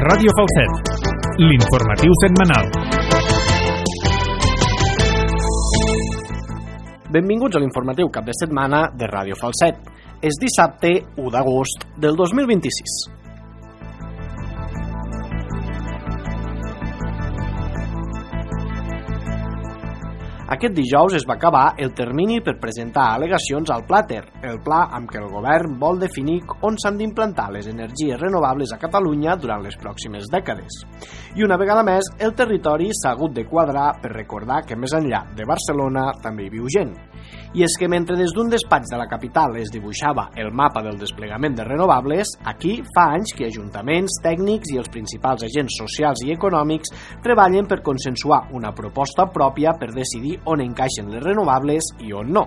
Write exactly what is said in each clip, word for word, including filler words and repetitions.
Ràdio Falset, l'informatiu setmanal. Benvinguts a l'informatiu cap de setmana de Ràdio Falset. És dissabte u d'agost del dos mil vint-i-sis. Aquest dijous es va acabar el termini per presentar al·legacions al Plater, el pla amb què el govern vol definir on s'han d'implantar les energies renovables a Catalunya durant les pròximes dècades. I una vegada més, el territori s'ha hagut de quadrar per recordar que més enllà de Barcelona també hi viu gent. I és que mentre des d'un despatx de la capital es dibuixava el mapa del desplegament de renovables, aquí fa anys que ajuntaments, tècnics i els principals agents socials i econòmics treballen per consensuar una proposta pròpia per decidir on encaixen les renovables i on no.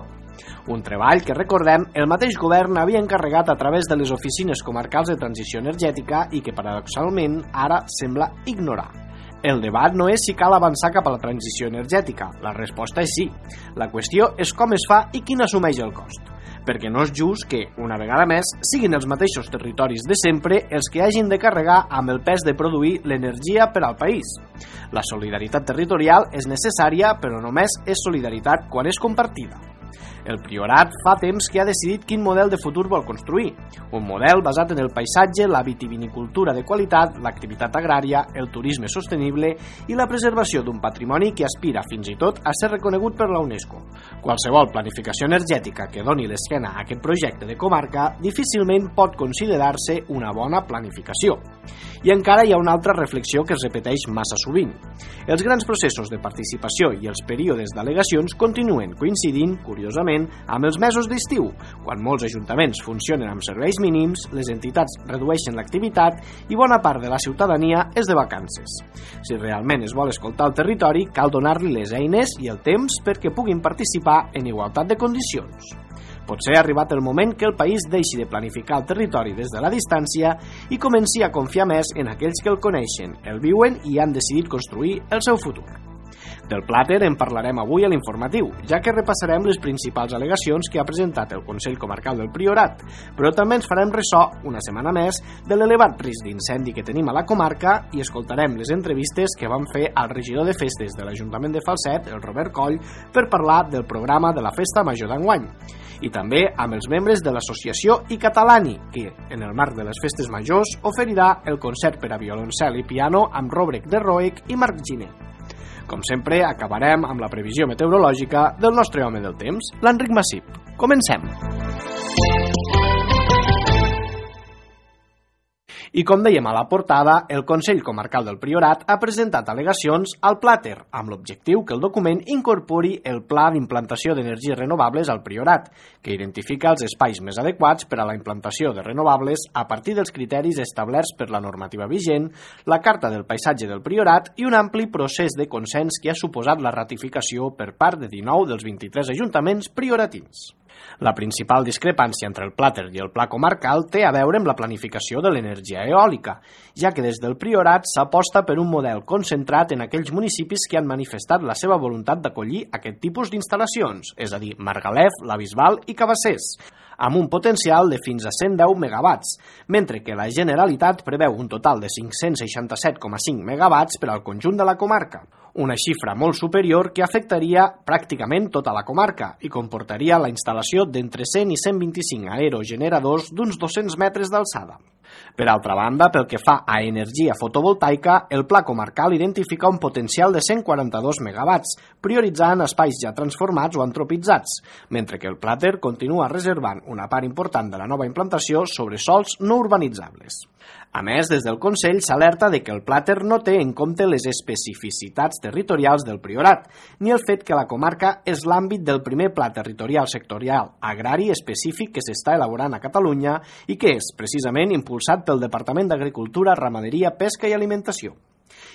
Un treball que, recordem, el mateix govern havia encarregat a través de les oficines comarcals de transició energètica i que, paradoxalment, ara sembla ignorar. El debat no és si cal avançar cap a la transició energètica, la resposta és sí. La qüestió és com es fa i qui n'assumeix el cost. Perquè no és just que, una vegada més, siguin els mateixos territoris de sempre els que hagin de carregar amb el pes de produir l'energia per al país. La solidaritat territorial és necessària, però només és solidaritat quan és compartida. El Priorat fa temps que ha decidit quin model de futur vol construir. Un model basat en el paisatge, la vitivinicultura de qualitat, l'activitat agrària, el turisme sostenible i la preservació d'un patrimoni que aspira fins i tot a ser reconegut per la UNESCO. Qualsevol planificació energètica que doni l'esquena a aquest projecte de comarca difícilment pot considerar-se una bona planificació. I encara hi ha una altra reflexió que es repeteix massa sovint. Els grans processos de participació i els períodes d'al·legacions continuen coincidint, curiosament, amb els mesos d'estiu, quan molts ajuntaments funcionen amb serveis mínims, les entitats redueixen l'activitat i bona part de la ciutadania és de vacances. Si realment es vol escoltar el territori, cal donar-li les eines i el temps perquè puguin participar en igualtat de condicions. Potser ha arribat el moment que el país deixi de planificar el territori des de la distància i comenci a confiar més en aquells que el coneixen, el viuen i han decidit construir el seu futur. Del Plater en parlarem avui a l'informatiu, ja que repassarem les principals al·legacions que ha presentat el Consell Comarcal del Priorat, però també ens farem ressò, una setmana més, de l'elevat risc d'incendi que tenim a la comarca i escoltarem les entrevistes que vam fer al regidor de festes de l'Ajuntament de Falset, el Robert Coll, per parlar del programa de la Festa Major d'enguany. I també amb els membres de l'associació I Catalani, que, en el marc de les festes majors, oferirà el concert per a violoncel i piano amb Robrek de Roec i Marc Giner. Com sempre, acabarem amb la previsió meteorològica del nostre home del temps, l'Enric Massip. Comencem! I com dèiem a la portada, el Consell Comarcal del Priorat ha presentat al·legacions al Plater, amb l'objectiu que el document incorpori el Pla d'implantació d'energies renovables al Priorat, que identifica els espais més adequats per a la implantació de renovables a partir dels criteris establerts per la normativa vigent, la Carta del Paisatge del Priorat i un ampli procés de consens que ha suposat la ratificació per part de dinou dels vint-i-tres ajuntaments prioratins. La principal discrepància entre el Plater i el Pla Comarcal té a veure amb la planificació de l'energia eòlica, ja que des del Priorat s'aposta per un model concentrat en aquells municipis que han manifestat la seva voluntat d'acollir aquest tipus d'instal·lacions, és a dir, Margalef, La Bisbal i Cabassers, amb un potencial de fins a cent deu megawatts, mentre que la Generalitat preveu un total de cinc-cents seixanta-set coma cinc megawatts per al conjunt de la comarca, una xifra molt superior que afectaria pràcticament tota la comarca i comportaria la instal·lació d'entre cent i cent vint-i-cinc aerogeneradors d'uns dos-cents metres d'alçada. Per altra banda, pel que fa a energia fotovoltaica, el Pla Comarcal identifica un potencial de cent quaranta-dos megawatts, prioritzant espais ja transformats o antropitzats, mentre que el Plater continua reservant una part important de la nova implantació sobre sòls no urbanitzables. A més, des del Consell s'alerta de que el Plater no té en compte les especificitats territorials del Priorat, ni el fet que la comarca és l'àmbit del primer pla territorial sectorial agrari específic que s'està elaborant a Catalunya i que és, precisament, impulsat pel Departament d'Agricultura, Ramaderia, Pesca i Alimentació.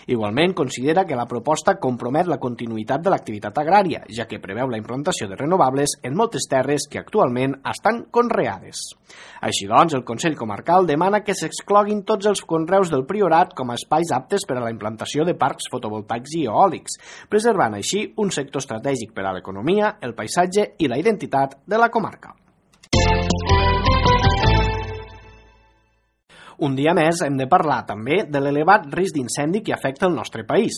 Igualment, considera que la proposta compromet la continuïtat de l'activitat agrària, ja que preveu la implantació de renovables en moltes terres que actualment estan conreades. Així doncs, el Consell Comarcal demana que s'excloguin tots els conreus del Priorat com a espais aptes per a la implantació de parcs fotovoltaics i eòlics, preservant així un sector estratègic per a l'economia, el paisatge i la identitat de la comarca. Un dia més hem de parlar també de l'elevat risc d'incendi que afecta el nostre país.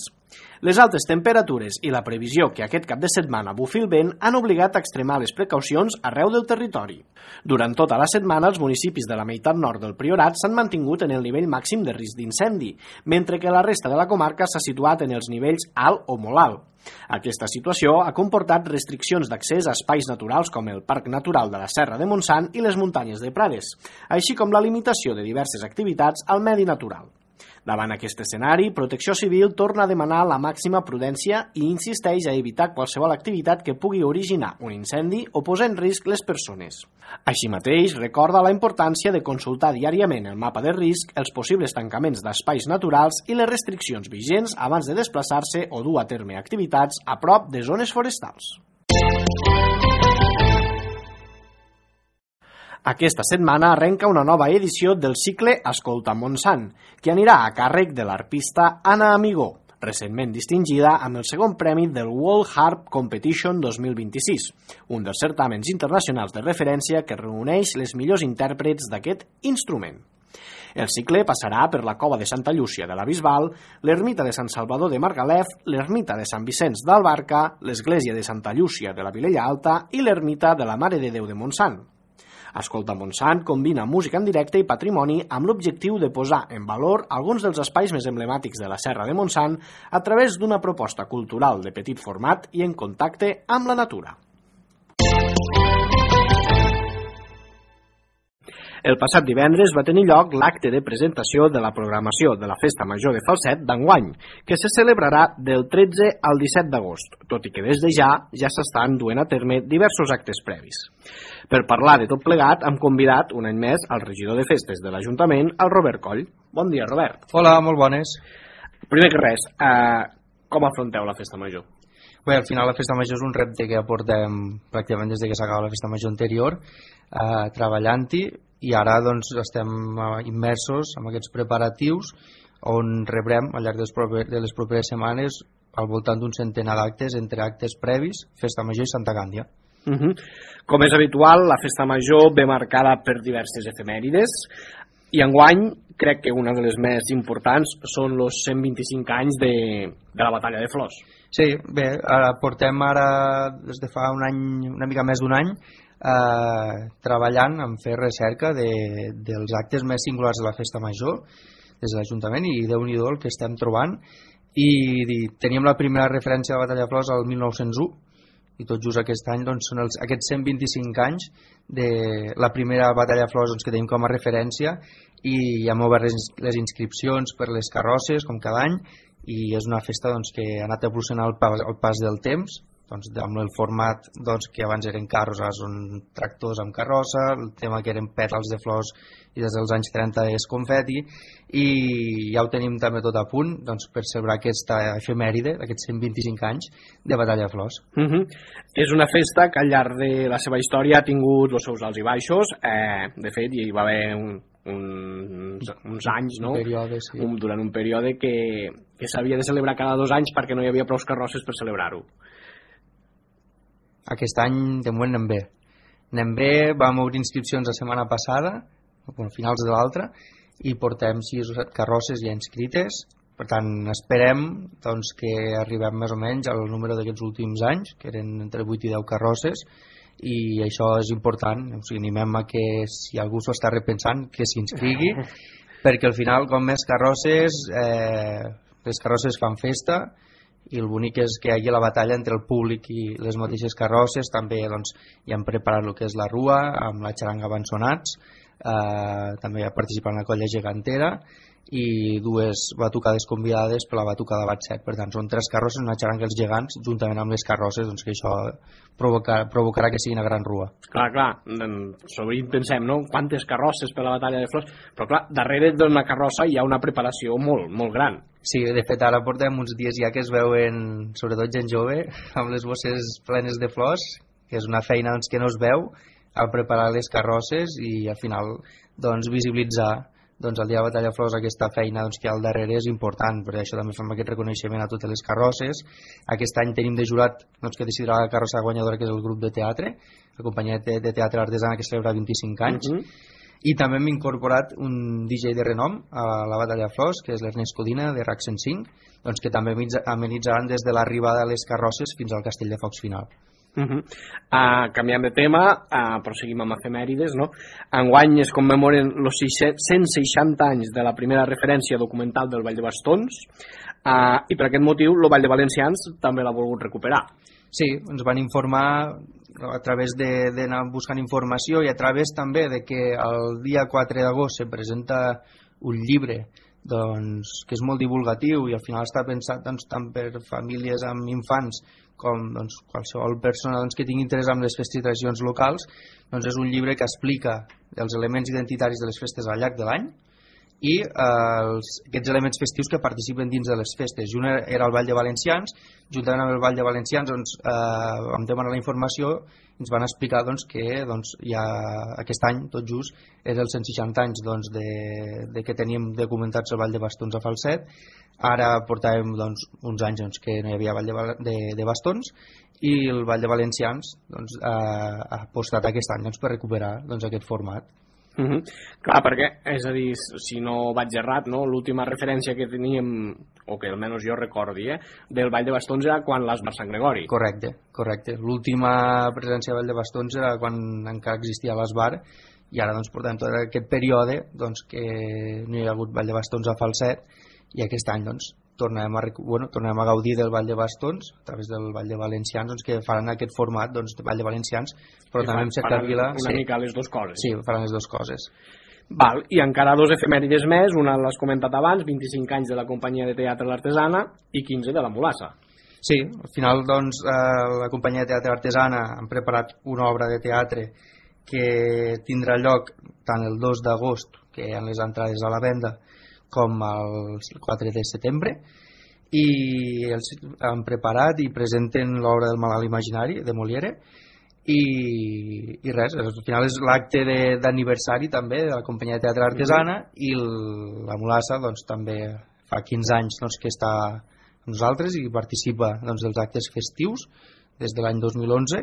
Les altes temperatures i la previsió que aquest cap de setmana bufi el vent han obligat a extremar les precaucions arreu del territori. Durant tota la setmana, els municipis de la meitat nord del Priorat s'han mantingut en el nivell màxim de risc d'incendi, mentre que la resta de la comarca s'ha situat en els nivells alt o molt alt. Aquesta situació ha comportat restriccions d'accés a espais naturals com el Parc Natural de la Serra de Montsant i les muntanyes de Prades, així com la limitació de diverses activitats al medi natural. Davant aquest escenari, Protecció Civil torna a demanar la màxima prudència i insisteix a evitar qualsevol activitat que pugui originar un incendi o posar en risc les persones. Així mateix, recorda la importància de consultar diàriament el mapa de risc, els possibles tancaments d'espais naturals i les restriccions vigents abans de desplaçar-se o dur a terme activitats a prop de zones forestals. Aquesta setmana arrenca una nova edició del cicle Escolta Montsant, que anirà a càrrec de l'arpista Anna Amigó, recentment distingida amb el segon premi del World Harp Competition dos mil vint-i-sis, un dels certàmens internacionals de referència que reuneix les millors intèrprets d'aquest instrument. El cicle passarà per la Cova de Santa Llúcia de la Bisbal, l'Ermita de Sant Salvador de Margalef, l'Ermita de Sant Vicenç d'Albarca, l'Església de Santa Llúcia de la Vilella Alta i l'Ermita de la Mare de Déu de Montsant. Escolta Montsant combina música en directe i patrimoni amb l'objectiu de posar en valor alguns dels espais més emblemàtics de la Serra de Montsant a través d'una proposta cultural de petit format i en contacte amb la natura. El passat divendres va tenir lloc l'acte de presentació de la programació de la Festa Major de Falset d'enguany, que se celebrarà del tretze al disset d'agost, tot i que des de ja ja s'estan duent a terme diversos actes previs. Per parlar de tot plegat, hem convidat un any més al regidor de festes de l'Ajuntament, el Robert Coll. Bon dia, Robert. Hola, molt bones. Primer que res, eh, com afronteu la Festa Major? Bé, al final la Festa Major és un repte que aportem pràcticament des de que s'acaba la Festa Major anterior, eh, treballant-hi, i ara doncs, estem immersos en aquests preparatius on rebrem al llarg dels proper, de les properes setmanes al voltant d'un centenar d'actes entre actes previs, Festa Major i Santa Càndia. Uh -huh. Com és habitual, la Festa Major ve marcada per diverses efemèrides i enguany crec que una de les més importants són els cent vint-i-cinc anys de, de la Batalla de Flors. Sí, bé, ara portem ara des de fa un any, una mica més d'un any, Eh, treballant en fer recerca de, dels actes més singulars de la Festa Major des de l'Ajuntament i Déu-n'hi-do el que estem trobant i, i teníem la primera referència de la Batalla de Flors al mil nou-cents u i tot just aquest any doncs, són els, aquests cent vint-i-cinc anys de la primera Batalla de Flors doncs, que tenim com a referència i ja hem obert les, les inscripcions per les carrosses com cada any i és una festa doncs, que ha anat evolucionant al pas, al pas del temps doncs, amb el format doncs, que abans eren carros, ara són tractors amb carrossa, el tema que eren pètals de flors i des dels anys trenta és confeti i ja ho tenim també tot a punt doncs, per celebrar aquesta efemèride d'aquests cent vint-i-cinc anys de Batalla de Flors. Uh -huh. És una festa que al llarg de la seva història ha tingut els seus alts i baixos, eh, de fet hi va haver un, un, uns anys, no? Un període, sí. un, durant un període que, que s'havia de celebrar cada dos anys perquè no hi havia prou carrosses per celebrar-ho. Aquest any de moment anem bé. Anem bé, vam obrir inscripcions la setmana passada, a finals de l'altra, i portem sis o set carrosses ja inscrites. Per tant, esperem doncs, que arribem més o menys al número d'aquests últims anys, que eren entre vuit i deu carrosses, i això és important. O sigui, animem a que si algú s'ho està repensant, que s'inscrigui, perquè al final, com més carrosses, eh, les carrosses fan festa, i el bonic és que hi hagi la batalla entre el públic i les mateixes carrosses. També doncs, ja hem preparat el que és la rua amb la xaranga Avançonats, eh, també ha participat en la colla gegantera i dues batucades convidades per la batucada Batset. Per tant, són tres carrosses, una xaranga els gegants juntament amb les carrosses, doncs que això provocar, provocarà que sigui una gran rua. Clar, clar, sovint pensem, no?, quantes carrosses per la Batalla de Flors, però clar, darrere d'una carrossa hi ha una preparació molt, molt gran. Sí, de fet ara portem uns dies ja que es veuen, sobretot gent jove, amb les bosses plenes de flors, que és una feina doncs, que no es veu al preparar les carrosses i al final doncs, visibilitzar doncs, el dia de la Batalla de Flors aquesta feina doncs, que hi ha al darrere és important, per això també fem aquest reconeixement a totes les carrosses. Aquest any tenim de jurat doncs, que decidirà la carrossa guanyadora, que és el grup de teatre, la companyia de teatre artesana que celebra vint-i-cinc anys, uh-huh. I també hem incorporat un D J de renom a la Batalla de Flors, que és l'Ernest Codina, de RAC cent cinc, doncs que també amenitzaran des de l'arribada de les carrosses fins al Castell de Focs final. Uh -huh. uh, canviem de tema, uh, proseguim amb efemèrides, no? Enguany es commemoren els cent seixanta anys de la primera referència documental del Vall de Bastons, uh, i per aquest motiu el Vall de Valencians també l'ha volgut recuperar. Sí, ens van informar a través d'anar buscant informació i a través també de que el dia quatre d'agost se presenta un llibre doncs, que és molt divulgatiu i al final està pensat doncs, tant per famílies amb infants com doncs, qualsevol persona doncs, que tingui interès en les festes i tradicions locals. Doncs és un llibre que explica els elements identitaris de les festes al llarg de l'any i eh, els, aquests elements festius que participen dins de les festes. I un era el Vall de Valencians. Juntament amb el Vall de Valencians doncs, eh, vam demanar la informació i ens van explicar doncs, que doncs, ja aquest any, tot just, és els cent seixanta anys doncs, de, de que teníem documentats el Vall de Bastons a Falset. Ara portàvem doncs, uns anys doncs, que no hi havia Vall de, de, de Bastons i el Vall de Valencians doncs, eh, ha apostat aquest any doncs, per recuperar doncs, aquest format. Uh -huh. Clar, perquè, és a dir, si no vaig errat, no? L'última referència que teníem, o que almenys jo recordi, eh, del Vall de Bastons era quan l'Esbar Sant Gregori. Correcte, correcte. L'última presència del Vall de Bastons era quan encara existia l'Esbar i ara, doncs, portem tot aquest període doncs, que no hi ha hagut Vall de Bastons a Falset i aquest any, doncs, tornem a, bueno, tornem a gaudir del Vall de Bastons a través del Vall de Valencians, doncs, que faran aquest format doncs, de Vall de Valencians, però I també amb Cercavila una sí. mica les dues coses. Sí, faran les dues coses. Val, i encara dos efemèrides més, una l'has comentat abans, vint-i-cinc anys de la companyia de teatre L'Artesana i quinze de la Mulassa. Sí, al final doncs, eh, la companyia de teatre Artesana han preparat una obra de teatre que tindrà lloc tant el dos d'agost, que hi ha les entrades a la venda, com el quatre de setembre, i els han preparat i presenten l'obra del Malalt Imaginari de Molière i, i res, al final és l'acte d'aniversari també de la companyia de teatre Artesana i el, la Mulassa doncs, també fa quinze anys doncs, que està amb nosaltres i participa doncs, dels actes festius des de l'any dos mil onze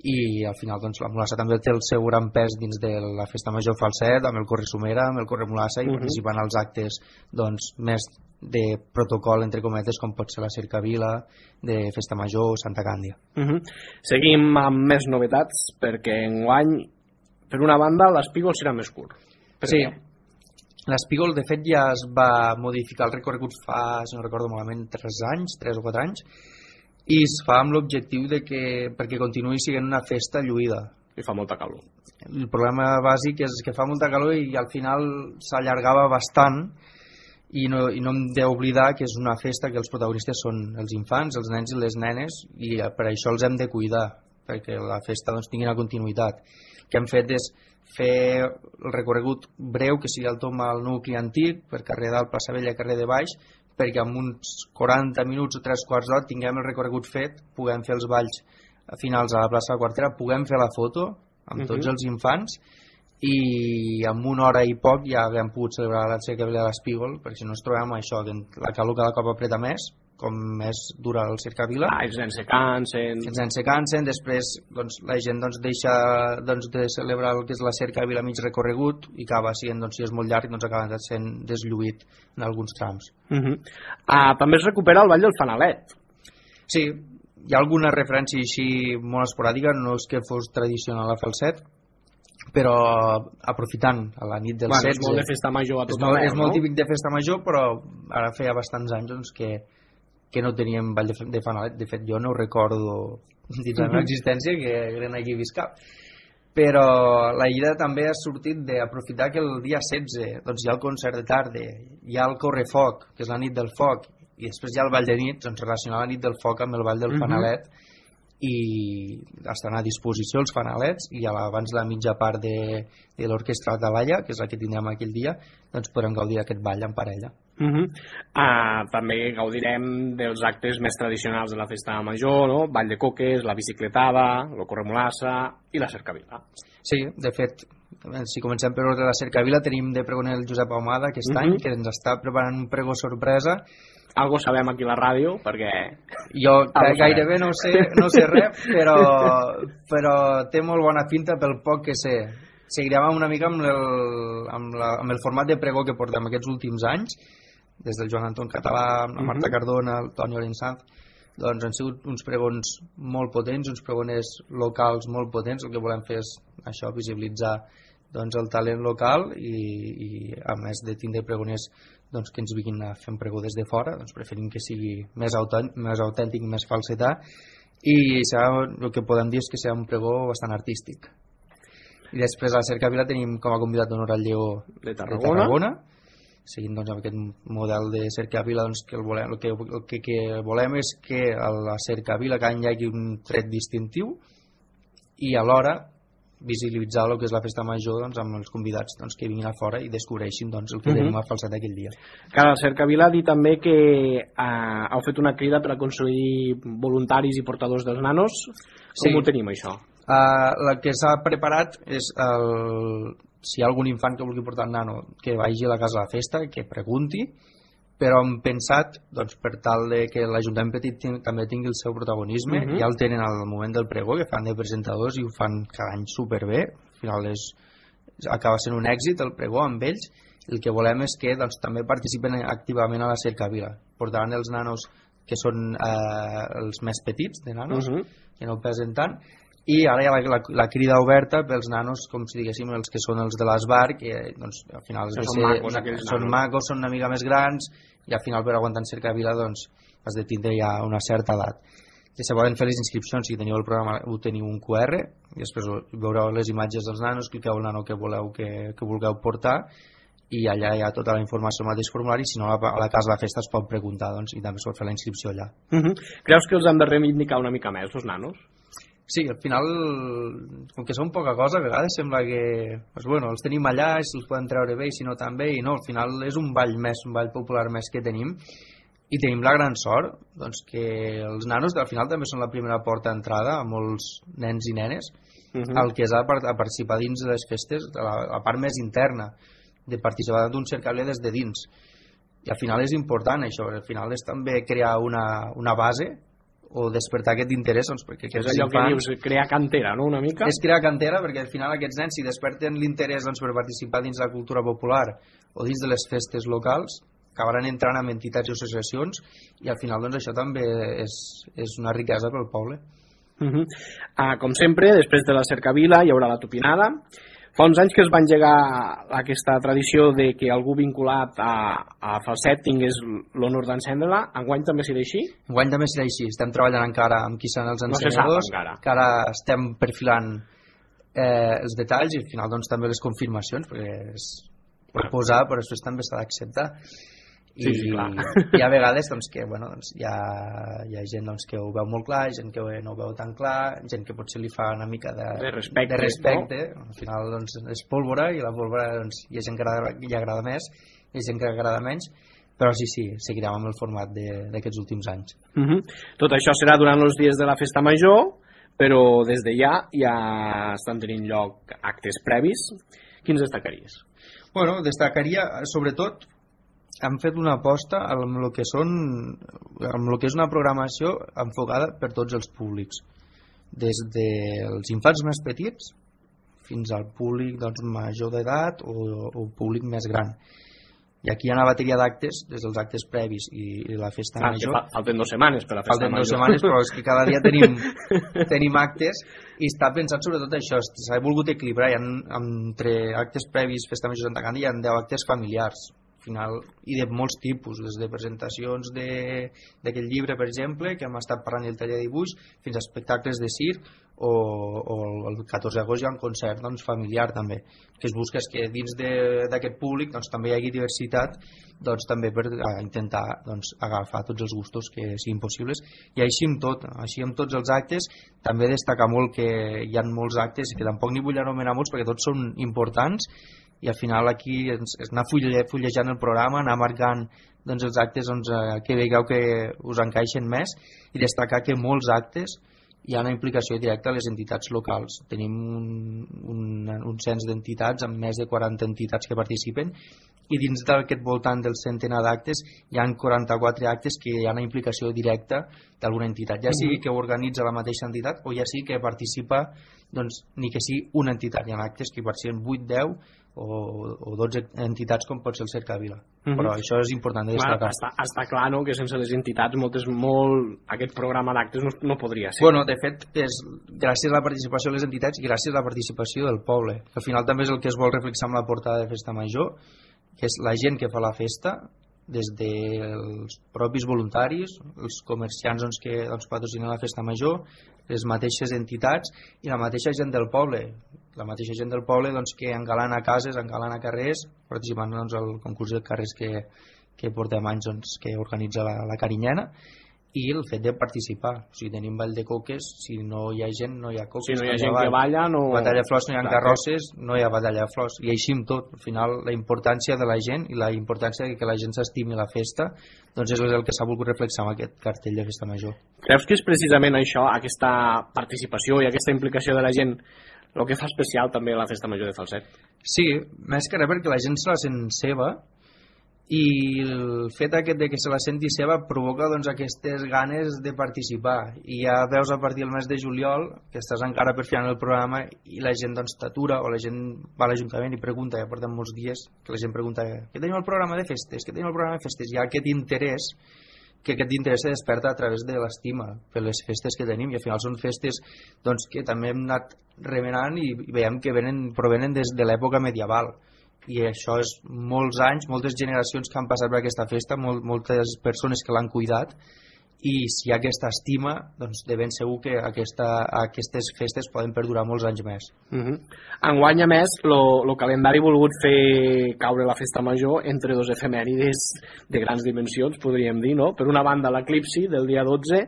i al final doncs, la Mulassa també té el seu gran pes dins de la Festa Major Falset amb el Corre Somera, amb el Corre Mulassa i uh -huh. participant als actes doncs, més de protocol entre cometes com pot ser la Cercavila de Festa Major o Santa Càndia. Uh -huh. Seguim amb més novetats perquè enguany per una banda l'Espígol serà més curt. Per sí, l'Espígol de fet ja es va modificar el recorregut fa, si no recordo malament, tres anys, tres o quatre anys i es fa amb l'objectiu de que perquè continuï sent una festa lluïda. I fa molta calor. El problema bàsic és que fa molta calor i al final s'allargava bastant i no, i no hem d'oblidar que és una festa que els protagonistes són els infants, els nens i les nenes i per això els hem de cuidar perquè la festa doncs, tingui una continuïtat. El que hem fet és fer el recorregut breu que sigui el tom al nucli antic per carrer dalt, plaça Vella, carrer de baix perquè en uns quaranta minuts o tres quarts d'hora tinguem el recorregut fet, puguem fer els balls finals a la plaça de la Quartera, puguem fer la foto amb tots uh -huh. els infants i en una hora i poc ja haguem pogut celebrar la Cercavila de l'Espígol perquè si no ens trobem això, que la calor cada cop apreta més com més dura el Cercavila. Ah, els nens se cansen. Els nens se cansen, després doncs, la gent doncs, deixa doncs, de celebrar el que és la Cercavila mig recorregut i acaba sent, doncs, si és molt llarg, doncs acaba sent deslluït en alguns trams. Uh -huh. ah, també es recupera el Ball del Fanalet. Sí, hi ha alguna referència així molt esporàdica, no és que fos tradicional a Falset, però aprofitant a la nit del bueno, setze... És molt de festa major a tot és molt, arreu, és molt no? típic de festa major, però ara feia bastants anys doncs, que que no teníem ball de, de Fanalet. De fet jo no ho recordo dins la meva existència que eren aquí vist cap, però la idea també ha sortit d'aprofitar que el dia setze doncs hi ha el concert de tarda, hi ha el Correfoc que és la nit del foc i després hi ha el ball de nit, doncs relacionar la nit del foc amb el ball del uh -huh. Fanalet i estan a disposició els fanalets i abans la mitja part de, de l'orquestra de balla, que és la que tindrem aquell dia, doncs podrem gaudir d'aquest ball en parella. Uh -huh. uh, també gaudirem dels actes més tradicionals de la festa major, no? Ball de coques, la bicicletada, el Corremolassa i la Cercavila. Sí, de fet, si comencem per ordre de la Cercavila, tenim de pregoner el Josep Ahumada aquest uh -huh. any, que ens està preparant un pregó sorpresa. Algo sabem aquí a la ràdio, perquè... Jo gairebé no sé, no sé res, però, però té molt bona pinta pel poc que sé. seguirem una mica amb el, amb, la, amb el format de pregó que portem aquests últims anys, des del Joan Anton Català, la Marta Cardona, el Toni Orensanz. Doncs han sigut uns pregons molt potents, uns pregoners locals molt potents. El que volem fer és això, visibilitzar doncs, el talent local i, i a més de tindre pregoners doncs, que ens vinguin a fer un pregó des de fora, doncs preferim que sigui més autèntic, més, autèntic, més falsetà, i serà, el que podem dir és que serà un pregó bastant artístic. I després a la Cercavila tenim com a convidat d'honor al Lleó de Tarragona, de Tarragona seguint doncs, amb aquest model de Cercavila, doncs, que el, volem, el, que, el que, que volem és que a la Cercavila cada any hi hagi un tret distintiu i alhora visibilitzar el que és la festa major doncs, amb els convidats doncs, que vinguin a fora i descobreixin doncs, el que uh -huh. tenim a falset aquell dia. Clar, la Cercavila ha dit també que eh, heu fet una crida per aconseguir voluntaris i portadors dels nanos. Com sí. ho tenim, això? Uh, el que s'ha preparat és el... si hi ha algun infant que vulgui portar el nano que vagi a la casa de la festa, que pregunti, però hem pensat doncs, per tal de que l'Ajuntament Petit també tingui el seu protagonisme. Uh -huh. Ja el tenen al moment del pregó, que fan de presentadors i ho fan cada any superbé. Al final és, acaba sent un èxit el pregó amb ells. El que volem és que doncs, també participen activament a la Cercavila. Portaran els nanos que són eh, els més petits de nanos, uh -huh. que no pesen tant, i ara hi ha la, la, la crida oberta pels nanos, com si diguéssim els que són els de l'Esbar, que doncs, al final són, ser, macos, una, són macos, són una mica més grans, i al final per aguantar en Cercavila doncs, has de tindre ja una certa edat. I se poden fer les inscripcions, si teniu el programa ho teniu un Q R, i després veureu les imatges dels nanos, cliqueu el nano que voleu que, que vulgueu portar, i allà hi ha tota la informació al mateix formulari. Si no, a la casa de la festa es pot preguntar doncs, i també es pot fer la inscripció allà. Uh -huh. Creus que els hem de reivindicar una mica més, els nanos? Sí, al final, com que són poca cosa, a vegades sembla que pues bueno, els tenim allà i se'ls poden treure bé i si no també, i no, al final és un ball més, un ball popular més que tenim, i tenim la gran sort doncs, que els nanos al final també són la primera porta d'entrada a molts nens i nenes, uh -huh. el que és a, a participar dins de les festes, la, la part més interna, de participar d'un cercable des de dins, i al final és important això, al final és també crear una, una base o despertar aquest interès doncs, perquè és allò infants, que dius, crear cantera, no? Una mica? És crear cantera perquè al final aquests nens si desperten l'interès doncs, per participar dins la cultura popular o dins de les festes locals acabaran entrant en entitats i associacions i al final doncs, això també és, és una riquesa pel poble. Uh -huh. uh, com sempre, després de la Cercavila hi haurà la tupinada. Fa uns anys que es va engegar aquesta tradició de que algú vinculat a, a Falset tingués l'honor d'encendre-la. Enguany també serà així? Enguany també serà així. Estem treballant encara amb qui seran els encenedors. No se sap encara. Que ara estem perfilant eh, els detalls i al final doncs, també les confirmacions, perquè és per posar, però després també s'ha d'acceptar. I, sí, sí, clar. I a vegades doncs, que, bueno, doncs, hi, ha, hi ha gent doncs, que ho veu molt clar, gent que no ho veu tan clar, gent que potser li fa una mica de, de respecte, de respecte. No? Al final doncs, és pólvora i la pólvora doncs, hi ha gent que agrada, hi agrada més hi ha gent que agrada menys, però sí, sí, seguirem amb el format d'aquests últims anys. Uh -huh. Tot això serà durant els dies de la festa major, però des de ja ja estan tenint lloc actes previs. Quins destacaries? Bueno, destacaria sobretot han fet una aposta amb el que són amb el que és una programació enfocada per tots els públics, des dels infants més petits fins al públic doncs, major d'edat o, o públic més gran. I aquí hi ha una bateria d'actes, des dels actes previs i, i la festa ah, major. Fa, falten dues setmanes per la festa falten major. Falten dues setmanes, però és que cada dia tenim, tenim actes i està pensat sobretot això, s'ha volgut equilibrar. Hi ha, entre actes previs, festa major Santa Càndida, hi ha deu actes familiars final, i de molts tipus, des de presentacions d'aquest llibre, per exemple, que hem estat parlant del taller de dibuix, fins a espectacles de circ, o, o el catorze d'agost hi ha un concert doncs, familiar també, que es busca és que dins d'aquest públic doncs, també hi hagi diversitat doncs, també per intentar doncs, agafar tots els gustos que siguin possibles, i així amb tot, així amb tots els actes. També destaca molt que hi ha molts actes que tampoc n'hi vull anomenar molts perquè tots són importants, i al final aquí és anar fullejant el programa, anar marcant doncs, els actes doncs, que veieu que us encaixen més, i destacar que molts actes hi ha una implicació directa a les entitats locals. Tenim un, un, un cens d'entitats amb més de quaranta entitats que participen, i dins d'aquest voltant del centenar d'actes hi ha quaranta-quatre actes que hi ha una implicació directa d'alguna entitat, ja sigui que ho organitza la mateixa entitat o ja sigui que participa doncs ni que sigui una entitat. Hi ha actes que hi participen vuit, deu o, o dotze entitats com pot ser el Cercavila. Mm-hmm. Però això és important de destacar. Està, està clar, no?, que sense les entitats moltes, molt, aquest programa d'actes no, no podria ser. Bueno, de fet, és gràcies a la participació de les entitats i gràcies a la participació del poble. Al final també és el que es vol reflexar amb la portada de Festa Major, que és la gent que fa la festa, des dels propis voluntaris, els comerciants doncs, que doncs, patrocinen la Festa Major, les mateixes entitats i la mateixa gent del poble, la mateixa gent del poble doncs, que engalana cases, engalana carrers, participant doncs, al concurs de carrers que, que portem anys doncs, que organitza la, la Carinyena, i el fet de participar. O sigui, tenim ball de coques, si no hi ha gent no hi ha coques. Si no hi ha gent que balla, no... Batalla de flors no hi ha carrosses, no hi ha batalla de flors. I així amb tot. Al final, la importància de la gent i la importància de que la gent s'estimi la festa, doncs és el que s'ha volgut reflexar amb aquest cartell de Festa Major. Creus que és precisament això, aquesta participació i aquesta implicació de la gent, el que fa especial també la Festa Major de Falset? Sí, més que res perquè la gent se la sent seva, i el fet aquest de que se la senti seva provoca doncs, aquestes ganes de participar, i ja veus a partir del mes de juliol que estàs encara per final el programa i la gent doncs, t'atura, o la gent va a l'Ajuntament i pregunta, ja portem molts dies que la gent pregunta, què tenim el programa de festes? Què tenim el programa de festes? Hi ha aquest interès, que aquest interès se desperta a través de l'estima per les festes que tenim, i al final són festes doncs, que també hem anat remenant i veiem que venen, provenen des de l'època medieval, i això és molts anys, moltes generacions que han passat per aquesta festa, molt, moltes persones que l'han cuidat, i si hi ha aquesta estima, doncs de ben segur que aquesta, aquestes festes poden perdurar molts anys més. Uh-huh. Enguany, a més, el calendari ha volgut fer caure la Festa Major entre dos efemèrides de grans dimensions, podríem dir, no? Per una banda, l'eclipsi del dia dotze,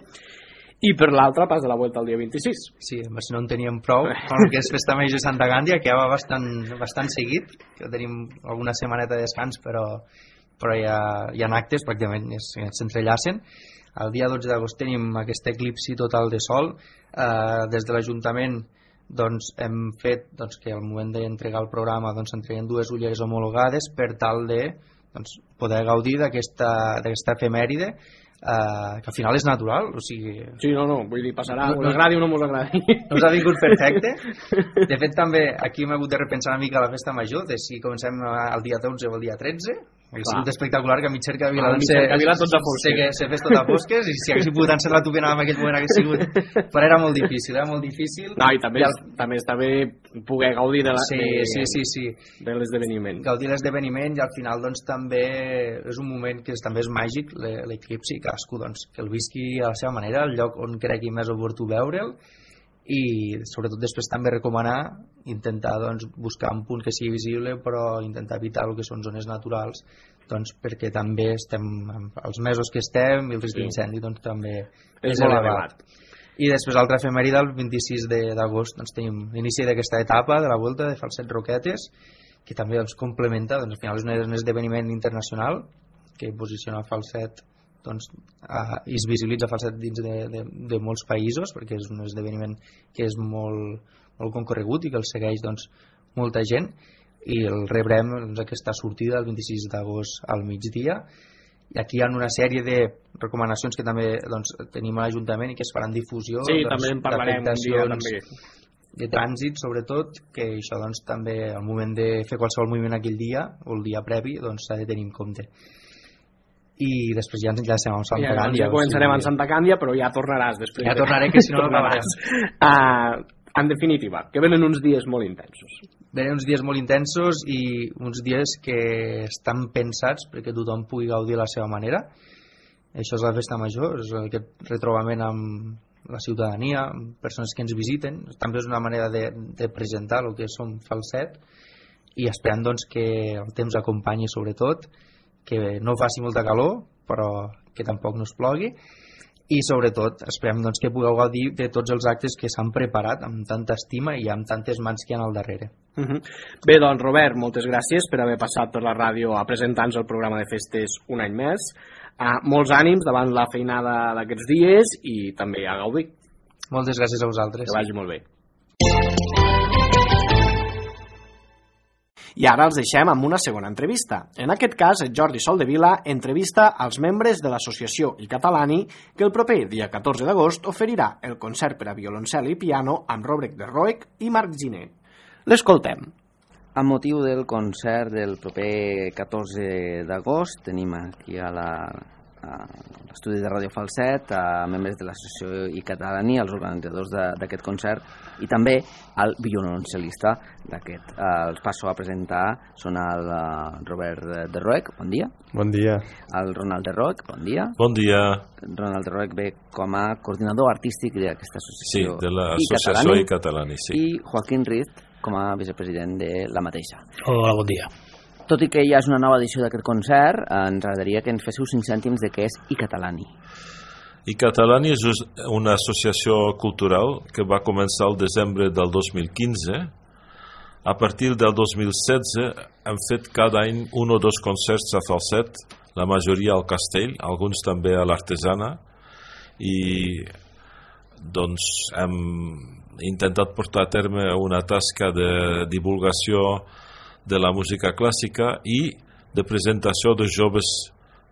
i per l'altra pas de la Vuelta al dia vint-i-sis. Sí, si no en teníem prou, el que és Festa Major de Santa Gàndia, que ja va bastant, bastant seguit, que tenim alguna setmaneta de descans, però, però ja hi ha actes, pràcticament s'entrellacen. El dia dotze d'agost tenim aquest eclipsi total de sol. Eh, des de l'Ajuntament doncs, hem fet doncs, que al moment d'entregar el programa doncs, entreguen dues ulleres homologades per tal de doncs, poder gaudir d'aquesta efemèride, Uh, que al final és natural, o sigui... Sí, no, no, vull dir, passarà, no, us agradi o no us agradi. No us ha vingut perfecte. De fet, també aquí hem hagut de repensar una mica la Festa Major, de si comencem el dia dotze o el dia tretze. Hauria sigut espectacular que a mig Cercavila ah, se, tots a fosques. Se fes tot a fosques, i si haguéssim pogut encetar la tupena en aquest moment hagués sigut... Però era molt difícil, era molt difícil. No, i també, el... també està bé poder gaudir de la, sí, de, sí, sí, sí. de l'esdeveniment. Gaudir l'esdeveniment, i al final doncs, també és un moment que també és màgic, l'eclipsi, cadascú doncs, que el visqui a la seva manera, el lloc on cregui més oportú veure'l, i sobretot després també recomanar intentar doncs, buscar un punt que sigui visible, però intentar evitar el que són zones naturals, doncs, perquè també estem els mesos que estem i el risc d'incendi doncs, també és, és molt elevat. I després l'altra efemèride, el vint-i-sis d'agost doncs, tenim l'inici d'aquesta etapa de la Volta de Falset Roquetes, que també doncs, complementa, doncs, al final és un esdeveniment internacional que posiciona Falset doncs, uh, i es visibilitza Falset dins de, de, de molts països, perquè és un esdeveniment que és molt, molt concorregut i que el segueix doncs, molta gent, i el rebrem doncs, aquesta sortida el vint-i-sis d'agost al migdia. I aquí hi ha una sèrie de recomanacions que també doncs, tenim a l'Ajuntament i que es faran difusió, sí, doncs, també en parlarem un dia també. De trànsit sobretot, que això doncs, també al moment de fer qualsevol moviment aquell dia o el dia previ doncs, s'ha de tenir en compte. I després ja ens enllacem amb Santa ja, Càndia. Ja començarem amb Santa Càndia, però ja tornaràs després. Ja tornaré, que si no no acabaràs. uh, en definitiva, que venen uns dies molt intensos. Venen uns dies molt intensos i uns dies que estan pensats perquè tothom pugui gaudir a la seva manera. Això és la Festa Major, és aquest retrobament amb la ciutadania, amb persones que ens visiten. També és una manera de, de presentar el que som Falset, i esperant doncs, que el temps acompanyi sobretot, que no faci molta calor però que tampoc no es plogui, i sobretot esperem doncs, que pugueu gaudir de tots els actes que s'han preparat amb tanta estima i amb tantes mans que hi ha al darrere. Uh -huh. Bé, doncs Robert, moltes gràcies per haver passat per la ràdio a presentar-nos el programa de festes un any més. Uh, molts ànims davant la feinada d'aquests dies i també a gaudir. Moltes gràcies a vosaltres. Que vagi molt bé. I ara els deixem amb una segona entrevista. En aquest cas, el Jordi Soldevila entrevista als membres de l'associació I Catalani que el proper dia catorze d'agost oferirà el concert per a violoncel i piano amb Robert de Roeg i Marc Giner. L'escoltem. Amb motiu del concert del proper catorze d'agost tenim aquí a la a l'estudi de Ràdio Falset a membres de l'associació I Catalani, els organitzadors d'aquest concert i també el violoncel·lista d'aquest. Els passo a presentar són el Robert de Roeg, bon dia. Bon dia. El Ronald de Roeg, bon dia. Bon dia. Ronald de Roeg ve com a coordinador artístic d'aquesta associació. Sí, de l'associació I Catalani, sí. I Joaquín Riz com a vicepresident de la mateixa. Hola, bon dia. Tot i que ja és una nova edició d'aquest concert, ens agradaria que ens féssiu cinc cèntims de què és I Catalani. I Catalani és una associació cultural que va començar el desembre del dos mil quinze. A partir del dos mil setze hem fet cada any un o dos concerts a Falset, la majoria al Castell, alguns també a l'Artesana, i doncs hem intentat portar a terme una tasca de divulgació de la música clàssica i de presentació de joves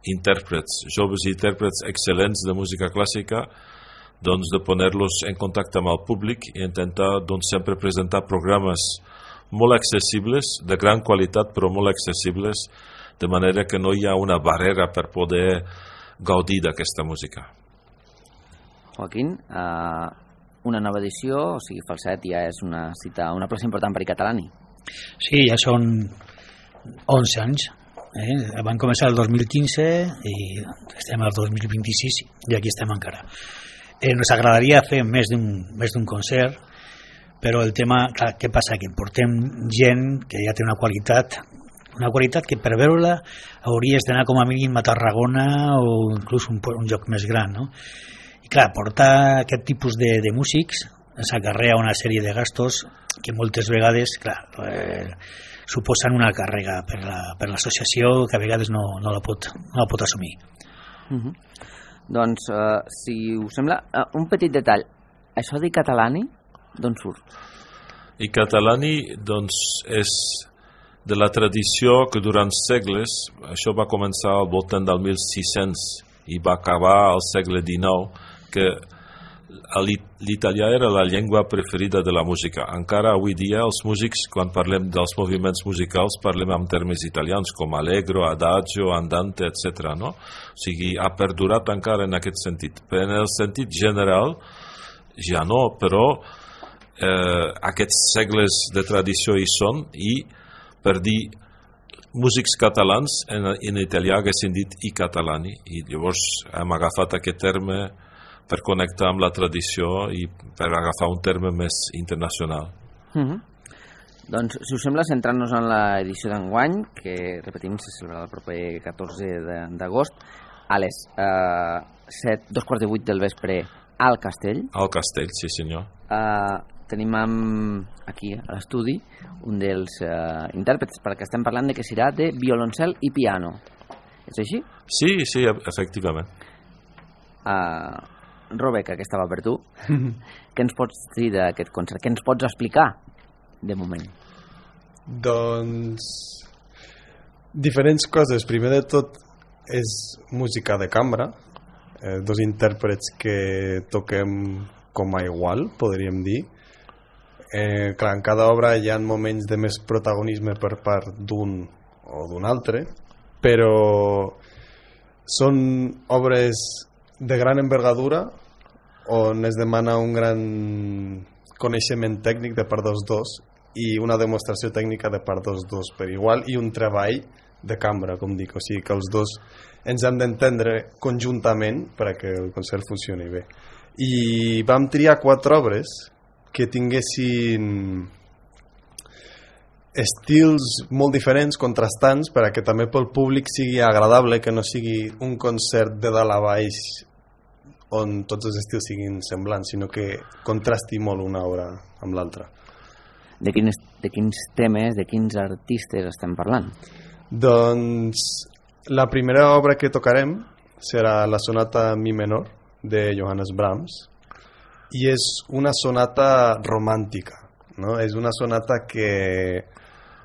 intèrprets, joves intèrprets excel·lents de música clàssica, doncs de poner-los en contacte amb el públic i intentar doncs sempre presentar programes molt accessibles, de gran qualitat però molt accessibles, de manera que no hi ha una barrera per poder gaudir d'aquesta música. Joaquín, eh, una nova edició, o sigui, Falset ja és una cita, una plaça important per I Catalani. Sí, ja són onze anys. Eh? Van començar el dos mil quinze i estem al dos mil vint-i-sis i aquí estem encara. Eh, ens agradaria fer més d'un més d'un concert, però el tema, clar, què passa? Que portem gent que ja té una qualitat, una qualitat que per veure-la hauries d'anar com a mínim a Tarragona o inclús un, un lloc més gran, no? I clar, portar aquest tipus de, de músics ens acarrea una sèrie de gastos que moltes vegades, clar, eh, suposen una càrrega per la, per l'associació que a vegades no, no, la, pot, no la pot assumir. Uh -huh. Doncs, eh, si us sembla, eh, un petit detall. Això d'I Catalani, d'on surt? I Catalani, doncs, és de la tradició que durant segles, això va començar al voltant del mil sis-cents i va acabar al segle dinou, que l'italià era la llengua preferida de la música. Encara avui dia els músics, quan parlem dels moviments musicals, parlem en termes italians com allegro, adagio, andante, etcètera. No? O sigui, ha perdurat encara en aquest sentit. Però en el sentit general, ja no, però eh, aquests segles de tradició hi són i per dir músics catalans en, en italià haguessin dit I Catalani i llavors hem agafat aquest terme per connectar amb la tradició i per agafar un terme més internacional. Uh -huh. Doncs, si us sembla, centrant-nos en l'edició d'enguany, que, repetim, se celebrarà el proper catorze d'agost, a les eh, set, dos quarts de vuit del vespre al Castell. Al Castell, sí senyor. Eh, tenim amb, aquí a l'estudi un dels eh, intèrprets, perquè estem parlant de que serà de violoncel i piano. És així? Sí, sí, efectivament. Uh, Robert, que aquesta va per tu, què ens pots dir d'aquest concert? Què ens pots explicar de moment? Doncs diferents coses. Primer de tot és música de cambra, eh, dos intèrprets que toquem com a igual, podríem dir. Eh, clar, en cada obra hi ha moments de més protagonisme per part d'un o d'un altre, però són obres de gran envergadura on es demana un gran coneixement tècnic de part dels dos i una demostració tècnica de part dels dos per igual i un treball de cambra, com dic, o sigui que els dos ens hem d'entendre conjuntament perquè el concert funcioni bé. I vam triar quatre obres que tinguessin estils molt diferents, contrastants, perquè també pel públic sigui agradable, que no sigui un concert de dalt a baix on tots els estils siguin semblants, sinó que contrasti molt una obra amb l'altra. De quins, de quins temes, de quins artistes estem parlant? Doncs la primera obra que tocarem serà la sonata Mi menor de Johannes Brahms i és una sonata romàntica, no? És una sonata que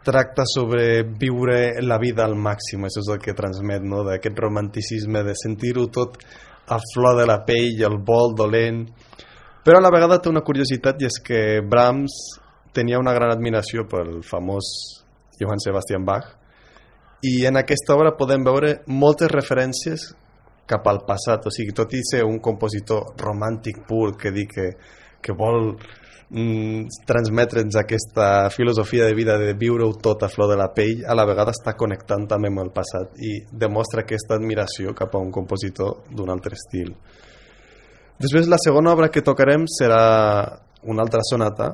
tracta sobre viure la vida al màxim, això és el que transmet, no? D'aquest romanticisme, de sentir-ho tot a flor de la pell, el vol dolent, però a la vegada té una curiositat, i és que Brahms tenia una gran admiració pel famós Johann Sebastian Bach, i en aquesta obra podem veure moltes referències cap al passat, o sigui, tot i ser un compositor romàntic pur que dic que, que vol mm, transmetre'ns aquesta filosofia de vida de viure-ho tot a flor de la pell, a la vegada està connectant també amb el passat i demostra aquesta admiració cap a un compositor d'un altre estil. Després la segona obra que tocarem serà una altra sonata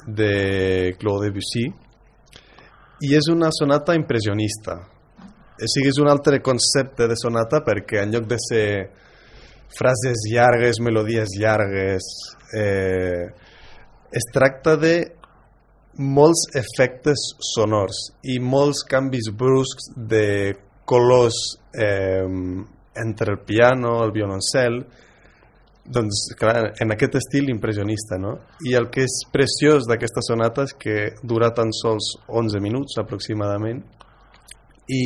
de Claude Debussy, i és una sonata impressionista. O sigui, és un altre concepte de sonata perquè en lloc de ser frases llargues, melodies llargues, eh, es tracta de molts efectes sonors i molts canvis bruscs de colors eh, entre el piano, el violoncel, doncs clar, en aquest estil impressionista, no? I el que és preciós d'aquesta sonata és que dura tan sols onze minuts aproximadament i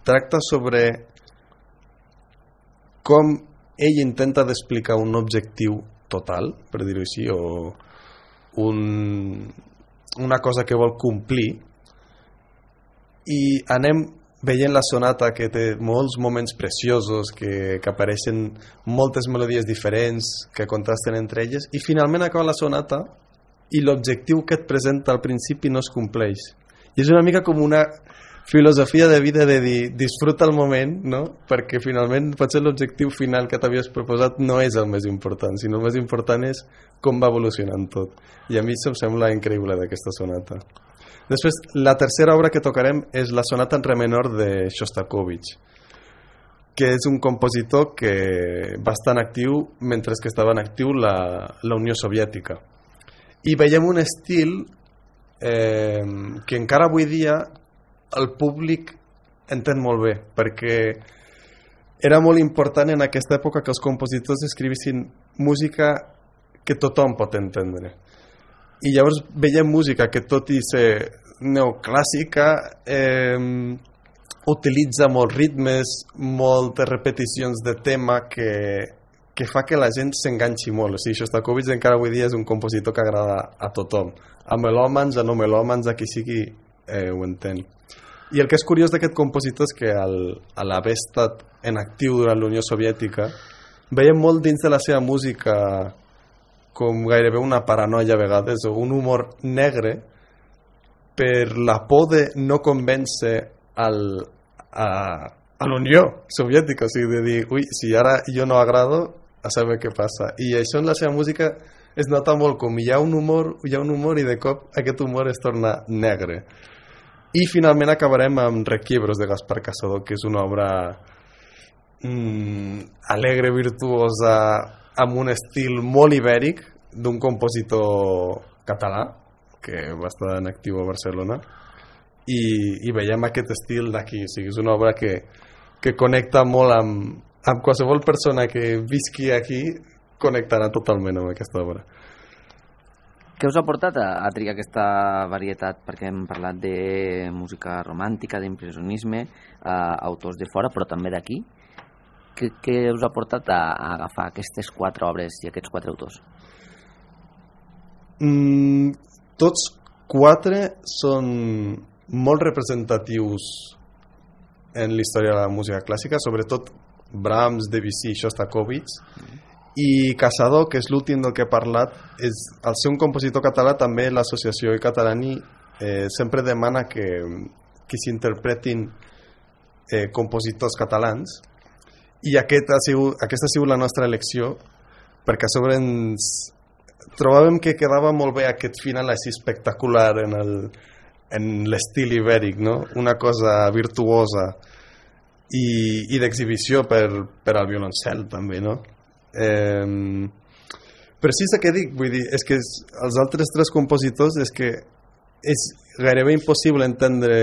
tracta sobre com ell intenta d'explicar un objectiu total, per dir-ho així, o un, una cosa que vol complir, i anem veient la sonata que té molts moments preciosos, que, que apareixen moltes melodies diferents, que contrasten entre elles, i finalment acaba la sonata i l'objectiu que et presenta al principi no es compleix. I és una mica com una filosofia de vida de dir, disfruta el moment, no? Perquè finalment potser l'objectiu final que t'havies proposat no és el més important, sinó el més important és com va evolucionant tot. I a mi això em sembla increïble d'aquesta sonata. Després, la tercera obra que tocarem és la sonata en re menor de Shostakovich, que és un compositor que va estar en actiu mentre que estava en actiu la, la Unió Soviètica. I veiem un estil eh, que encara avui dia el públic entén molt bé, perquè era molt important en aquesta època que els compositors escrivissin música que tothom pot entendre. I llavors veiem música que, tot i ser neoclàssica, eh, utilitza molts ritmes, moltes repeticions de tema que, que fa que la gent s'enganxi molt. O sigui, Shostakovich encara avui dia és un compositor que agrada a tothom, a melòmans, a no melòmans, a qui sigui eh, ho entén. I el que és curiós d'aquest compositor és que al, a l'haver estat en actiu durant la Unió Soviètica veiem molt dins de la seva música com gairebé una paranoia a vegades, o un humor negre per la por de no convèncer al, a, a l'Unió Soviètica, o sigui, de dir, ui, si ara jo no agrado, a saber què passa. I això en la seva música es nota molt, com hi ha un humor, hi ha un humor i de cop aquest humor es torna negre. I finalment acabarem amb Requiebros de Gaspar Casado, que és una obra mm, alegre, virtuosa, amb un estil molt ibèric d'un compositor català que va estar en actiu a Barcelona, i, i veiem aquest estil d'aquí. O sigui, és una obra que, que connecta molt amb, amb qualsevol persona que visqui aquí, connectarà totalment amb aquesta obra. Què us ha portat a, a triar aquesta varietat? Perquè hem parlat de música romàntica, d'impressionisme, eh, autors de fora, però també d'aquí. Què, què us ha portat a, a agafar aquestes quatre obres i aquests quatre autors? Mm, tots quatre són molt representatius en la història de la música clàssica, sobretot Brahms, Debussy i Shostakovich. I Casado, que és l'últim del que he parlat, és, al ser un compositor català, també l'associació Catalani eh, sempre demana que, que s'interpretin eh, compositors catalans, i aquest ha sigut, aquesta ha sigut la nostra elecció, perquè a sobre ens trobàvem que quedava molt bé aquest final així espectacular en el, en l'estil ibèric, no? Una cosa virtuosa i, i d'exhibició per, per al violoncel també, no? Eh, però sí, és el que dic, vull dir, és que els altres tres compositors és que és gairebé impossible entendre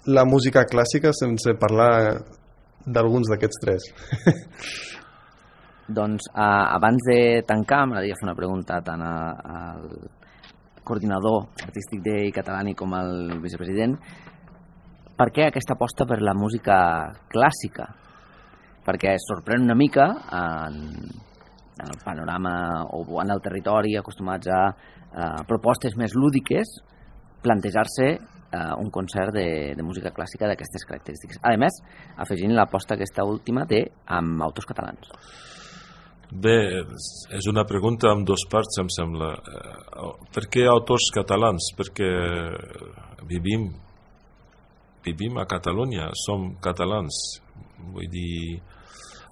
la música clàssica sense parlar d'alguns d'aquests tres. Doncs uh, abans de tancar m'agradaria fer una pregunta tant a, a, coordinador artístic de Catalani com el vicepresident, per què aquesta aposta per la música clàssica? Perquè sorprèn una mica en, en el panorama o en el territori acostumats a, a propostes més lúdiques plantejar-se uh, un concert de, de música clàssica d'aquestes característiques. A més, afegint l'aposta aquesta última té amb autors catalans. Bé, és una pregunta amb dos parts, em sembla. Per què autors catalans? Perquè vivim, vivim a Catalunya, som catalans. Vull dir,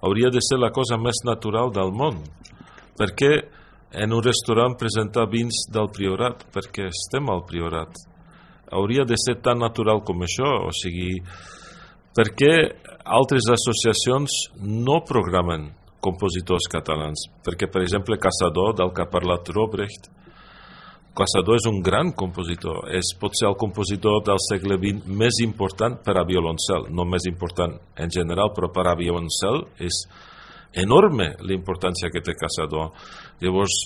hauria de ser la cosa més natural del món. Per què en un restaurant presentar vins del Priorat? Perquè estem al Priorat. Hauria de ser tan natural com això. O sigui, per què altres associacions no programen compositors catalans? Perquè, per exemple, Caçador, del que ha parlat Robrecht, Caçador és un gran compositor, és potser el compositor del segle vint més important per a violoncel, no més important en general, però per a violoncel és enorme l'importància que té Caçador. Llavors,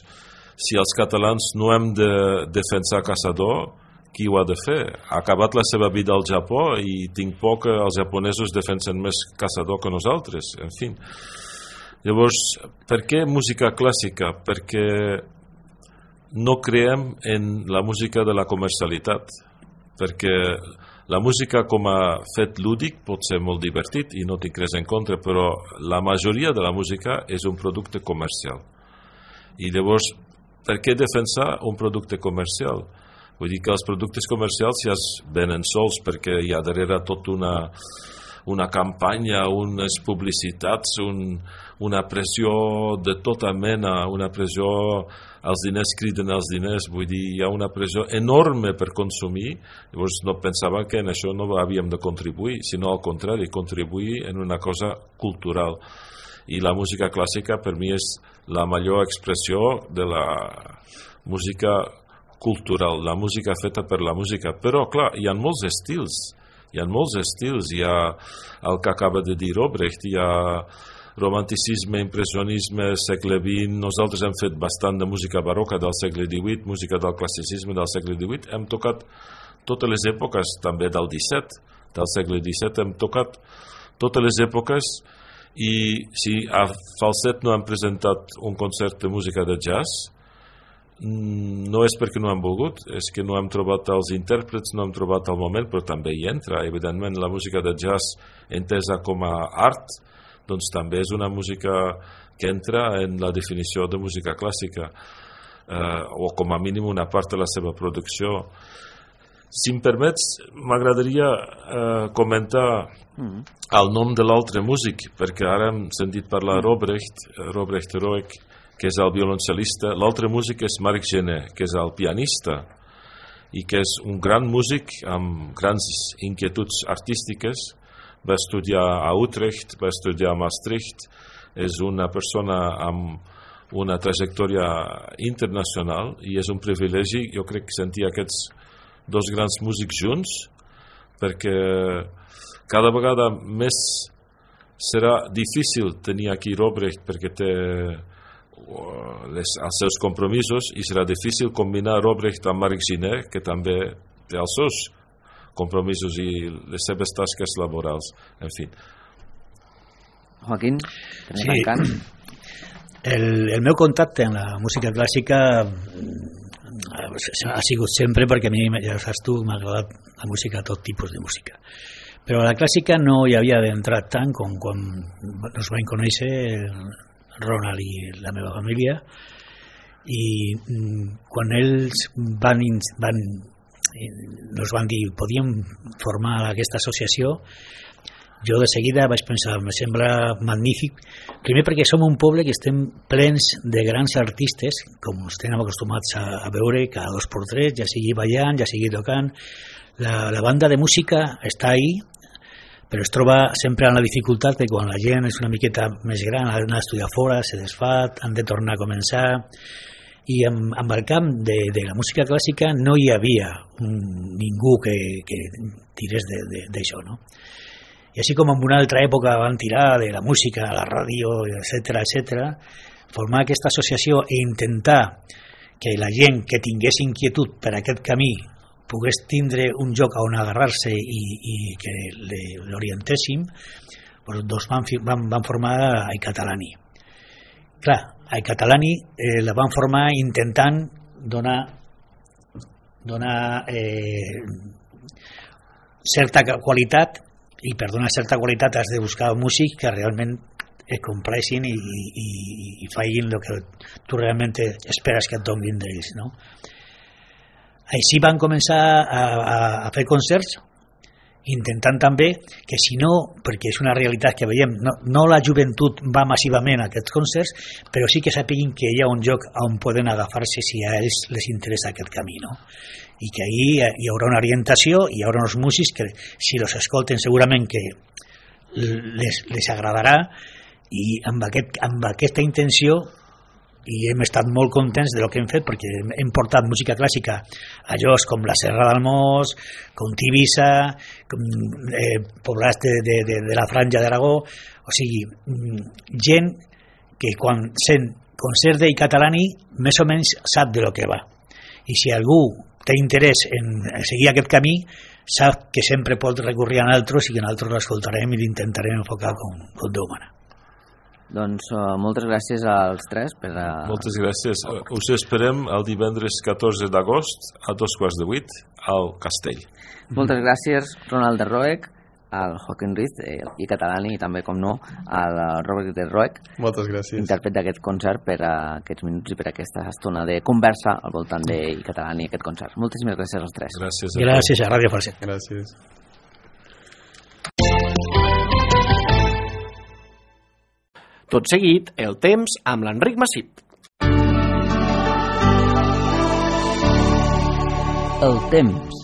si els catalans no hem de defensar Caçador, qui ho ha de fer? Ha acabat la seva vida al Japó i tinc por que els japonesos defensen més Caçador que nosaltres, en fi. Llavors, per què música clàssica? Perquè no creiem en la música de la comercialitat, perquè la música com a fet lúdic pot ser molt divertit i no tinc res en contra, però la majoria de la música és un producte comercial. I llavors, per què defensar un producte comercial? Vull dir que els productes comercials ja es venen sols perquè hi ha darrere tot una... una campanya, unes publicitats, un, una pressió de tota mena, una pressió, els diners criden els diners, vull dir, hi ha una pressió enorme per consumir, llavors no pensava que en això no havíem de contribuir, sinó al contrari, contribuir en una cosa cultural. I la música clàssica per mi és la millor expressió de la música cultural, la música feta per la música, però clar, hi ha molts estils, hi ha molts estils, hi ha el que acaba de dir Robrecht, hi ha romanticisme, impressionisme, segle vint, nosaltres hem fet bastant de música barroca del segle divuit, música del classicisme del segle divuit, hem tocat totes les èpoques, també del disset, del segle disset, hem tocat totes les èpoques i si a Falset no hem presentat un concert de música de jazz, no és perquè no hem volgut, és que no hem trobat els intèrprets, no hem trobat el moment, però també hi entra, evidentment la música de jazz entesa com a art, doncs també és una música que entra en la definició de música clàssica, eh, o com a mínim una part de la seva producció. Si em permets, m'agradaria eh, comentar el nom de l'altre músic, perquè ara hem sentit parlar Robrecht, Robrecht Roek, que és el violoncel·lista. L'altre músic és Marc Gené, que és el pianista i que és un gran músic amb grans inquietuds artístiques. Va estudiar a Utrecht, va estudiar a Maastricht, és una persona amb una trajectòria internacional i és un privilegi, jo crec, sentir aquests dos grans músics junts, perquè cada vegada més serà difícil tenir aquí Robrecht perquè té Les, els seus compromisos i serà difícil combinar Robrecht amb Marc Gené, que també té els seus compromisos i les seves tasques laborals, en fi. Joaquín, sí. el, el meu contacte amb la música clàssica ha sigut sempre perquè a mi, ja saps tu, m'ha agradat la música, tot tipus de música, però la clàssica no hi havia d'entrar tant com quan ens vam conèixer Ronald i la meva família, i quan ells van, van nos van dir podíem formar aquesta associació, jo de seguida vaig pensar, me sembla magnífic, primer perquè som un poble que estem plens de grans artistes, com estem acostumats a, a veure cada dos per tres, ja sigui ballant, ja sigui tocant, la, la banda de música està ahí, però es troba sempre en la dificultat que quan la gent és una miqueta més gran, ha d'anar a estudiar fora, se desfà, han de tornar a començar, i amb, amb el camp de, de la música clàssica no hi havia un, ningú que, que tirés d'això, no? I així com en una altra època van tirar de la música a la ràdio, etcètera, etcètera, formar aquesta associació i intentar que la gent que tingués inquietud per aquest camí pogués tindre un lloc on agarrar-se i, i que l'orientéssim, doncs van, van, van formar iCatalani. Clar, iCatalani eh, la van formar intentant donar, donar eh, certa qualitat, i per donar certa qualitat has de buscar músics que realment es compleixin i, i, i facin el que tu realment esperes que et donin d'ells, no? Així van començar a, a, a fer concerts, intentant també que si no, perquè és una realitat que veiem, no, no la joventut va massivament a aquests concerts, però sí que sapiguin que hi ha un lloc on poden agafar-se si a ells les interessa aquest camí, no? I que ahí hi haurà una orientació, hi haurà uns músics que si els escolten segurament que les, les agradarà, i amb, aquest, amb aquesta intenció i hem estat molt contents de lo que hem fet, perquè hem portat música clàssica a llocs com la Serra d'Almós, com Tivissa, com eh, poblats de, de, de, de la Franja d'Aragó, o sigui, gent que quan sent concert d'iCatalani més o menys sap de lo que va, i si algú té interès en seguir aquest camí sap que sempre pot recurrir a nosaltres i que nosaltres l'escoltarem i l'intentarem enfocar com, com Déu mana. Doncs uh, moltes gràcies als tres per a... Moltes gràcies. Uh, us esperem el divendres catorze d'agost a dos quarts de vuit al Castell. Moltes gràcies, Ronald de Roeg, al Joaquim Ruiz eh, i Catalani, i també, com no, al Robert de Roeg. Moltes gràcies. Intèrpret d'aquest concert per a aquests minuts i per a aquesta estona de conversa al voltant de Catalani i aquest concert. Moltíssimes gràcies als tres. Gràcies a, gràcies a Ràdio Falset. Gràcies. Tot seguit, el temps amb l'Enric Massip. El temps.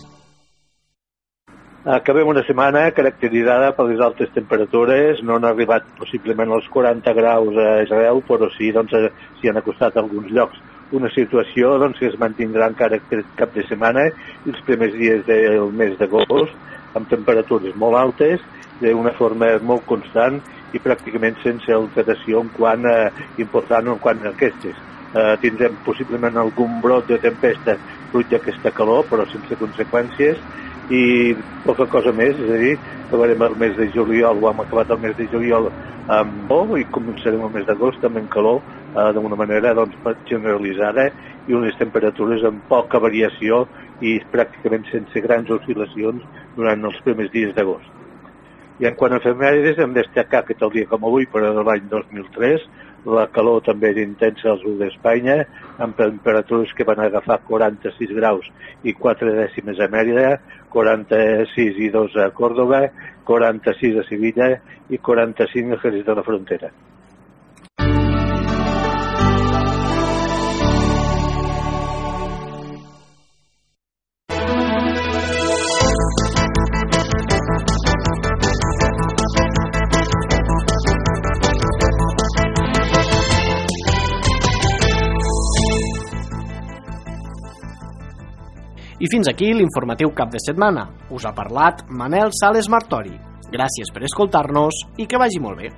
Acabem una setmana caracteritzada per les altes temperatures. No han arribat possiblement als quaranta graus a Israel, però sí, doncs, s'hi han acostat a alguns llocs. Una situació doncs, que es mantindrà encara aquest cap de setmana i els primers dies del mes d'agost, amb temperatures molt altes, d'una forma molt constant i pràcticament sense alteració en quant a, important en quant a aquestes. Eh, tindrem possiblement algun brot de tempesta fruit d'aquesta calor, però sense conseqüències, i poca cosa més, és a dir, acabarem el mes de juliol, o hem acabat el mes de juliol amb bo, i començarem el mes d'agost amb en calor, eh, d'una manera doncs, generalitzada, i unes temperatures amb poca variació i pràcticament sense grans oscil·lacions durant els primers dies d'agost. I en quant a efemèrides, hem de destacar que tal dia com avui, per a l'any dos mil tres, la calor també era intensa al sud d'Espanya, amb temperatures que van agafar quaranta-sis graus i quatre dècimes a Mèrida, quaranta-sis i dos a Còrdova, quaranta-sis a Sevilla i quaranta-cinc a Jerez de la Frontera. I fins aquí l'informatiu cap de setmana. Us ha parlat Manel Sales Martori. Gràcies per escoltar-nos i que vagi molt bé.